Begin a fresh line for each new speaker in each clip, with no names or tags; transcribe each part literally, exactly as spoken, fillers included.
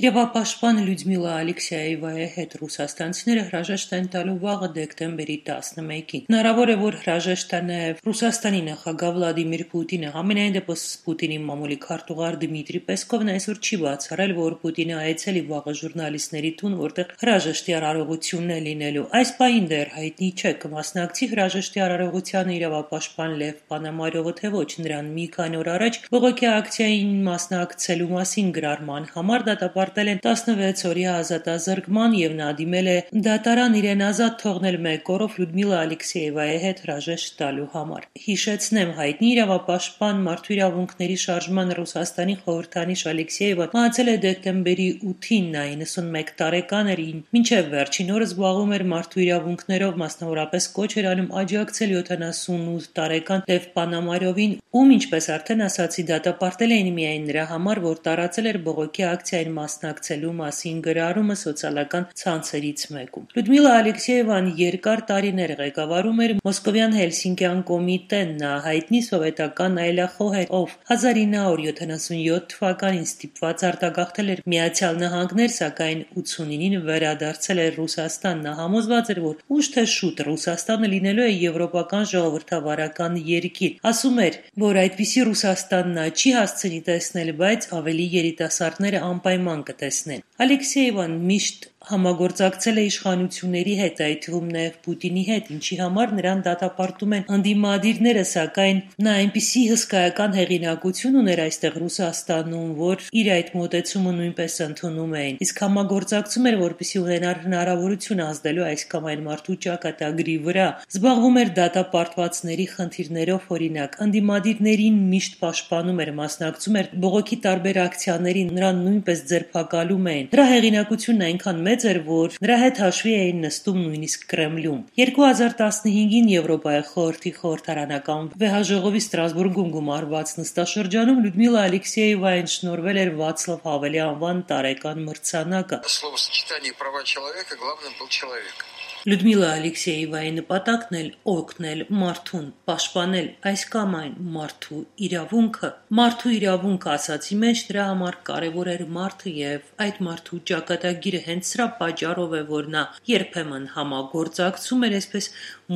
Իրավապաշտպան Լյուդմիլա Ալեքսեևայի հետ ռուսաստանցիները հրաժեշտ են տալու վաղը դեկտեմբերի տասնմեկին։ Հնարավոր է, որ հրաժեշտ տա նաև Ռուսաստանի նախագահ Վլադիմիր Պուտինը։ Համենայն դեպս Պուտինի մամուլի քարտուղար Դմիտրի Պեսկովն այսօր չի բացառել, որ Պուտինը այցելի վաղը ժուրնալիստների տուն, որտեղ հրաժեշտի արարողությունն է լինելու։ Այս պահին դեռ հայտնի չէ, կմասնակցի հրաժեշտի արարողությանը իրավապաշտպան Լև Պանամարովը, թե ոչ։ Նրան մի քանի օր առաջ բողոքի ակցիային մասնակցելու մասին գրառման համար դատապարտել են տասնվեց օրյա ազատազրկման եւ նա դիմել է դատարան իրեն ազատ թողնել մեկ օրով Լյուդմիլա Ալեքսեևայի հետ հրաժեշտ տալու համար։ Հիշեցնեմ, հայտնի իրավապաշտպան մարդու իրավունքների շարժման Ռուսաստանի խորհրդանիշ Ալեքսեևը մահացել է դեկտեմբերի ութին, նա իննսունմեկ տարեկան էր, մինչև վերջին օրը զբաղվում էր մարդու իրավունքներով, մասնավորապես կոչ էր անում աջակցել յոթանասունութ տարեկան Լև Պանամարովին, ում, ինչպես արդեն ասացի, դատապարտել էին միայն նրա համար, որ տարածել էր բողոքի ակցիային մասնակցելու մասին գրառումը սոցիալական ցանցերից մեկում։ Լյուդմիլա Ալեքսեևան երկար տարիներ ղեկավարում էր Մոսկովյան Հելսինկյան կոմիտեն, նա հայտնի սովետական այլախոհ էր, ով հազար ինը հարյուր յոթանասունյոթ թվականին ստիպված արտագաղթել էր Միացյալ Նահանգներ, սակայն ութսունինին վերադարձել էր Ռուսաստան։ Նա համոզված էր, որ ուշ թե շուտ Ռուսաստանը լինելու է եվրոպական ժողովրդավարական երկիր։ Ասում էր, որ այդպիսի Ռուսաստան նա չի հասցնի տեսնել, բայց ավելի երիտասարդները անպայման կտեսնեն։ Ալեքսեևան միշտ համագործակցել է իշխանությունների հետ, այդ թվում նաև Պուտինի հետ, ինչի համար նրան դատապարտում են ընդդիմադիրները, սակայն նա այնպիսի հսկայական հեղինակություն ուներ այստեղ Ռուսաստանում, որ իր այդ մոտեցումը նույնպես ընդունում էին, իսկ համագործակցում էր, որպեսզի ունենար հնարավորություն ազդելու այս կամ այն մարդու ճակատագրի վրա, զբաղվում էր դատապարտվածների խնդիրներով, օրինակ, ընդդիմադիրներին միշտ պաշտպանում էր, մասնակցում էր բողոքի տարբեր ակցիաներին, նրան նույնպես ձերբակալում էին։ Նրա հեղինակությունն այնքան մեծ էր, որ նրա հետ հաշվի էին նստում նույնիսկ Կրեմլում։ երկու հազար տասնհինգին Եվրոպայի խորհրդի խորհրդարանական վեհաժողովի Ստրասբուրգում գումարված նստաշրջանում Լյուդմիլա Ալեքսեևային շնորհվել էր Վացլավ Հավելի անվան տարեկան մրցանակը։
Словосочетание права человека главным был человек.
Լյուդմիլա Ալեքսեևայի նպատակն էլ օգնել մարդուն, պաշտպանել այս կամ այն մարդու իրավունքը։ Մարդու իրավունքը ասացի մեջ նրա համար կարևոր էր մարդը եւ այդ մարդու ճակատագիրը, հենց սրա պատճառով է, որ նա երբեմն համագործակցում էր, այսպես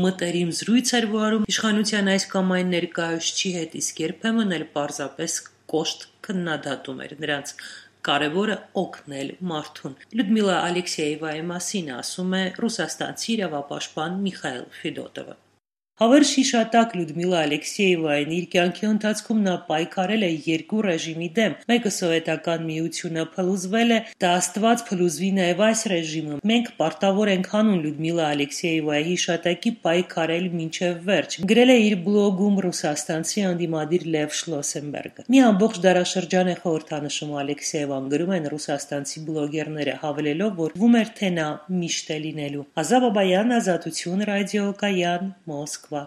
մտերիմ զրույց էր վարում իշխանության այս կամ այն ներկայացուցիչի հետ, իսկ երբեմն էլ պարզապես կոշտ քննադատում էր նրանց։ Կարևորը օգնել մարդուն։ Լյուդմիլա Ալեքսեևայի մասին ասում է ռուսաստանցի իրավապաշտպան Միխայիլ Ֆեդոտովը։ Հավերժ հիշատակ Լյուդմիլա Ալեքսեևային իր կյանքի ընթացքում նա պայքարել է երկու ռեժիմի դեմ։ Մեկը սովետական միությունը փլուզվել է, դա Աստված փլուզվի նաև այս ռեժիմը։ Մենք պարտավոր ենք հանուն Լյուդմիլա Ալեքսեևայի հիշատակի պայքարել մինչև վերջ, գրել է իր բլոգում ռուսաստանցի ընդդիմադիր Լև Շլոսենբերգը։ Մի ամբողջ դարաշրջան է խորհրդանշում Ալեքսեևան, գրում են ռուսաստանցի բլոգերները, հավելելով, որ վում էր, թե նա միշտ է լինելու։ Ազա Բաբայան, Ազատություն, Ռադիո Կայան, Մոսկվա։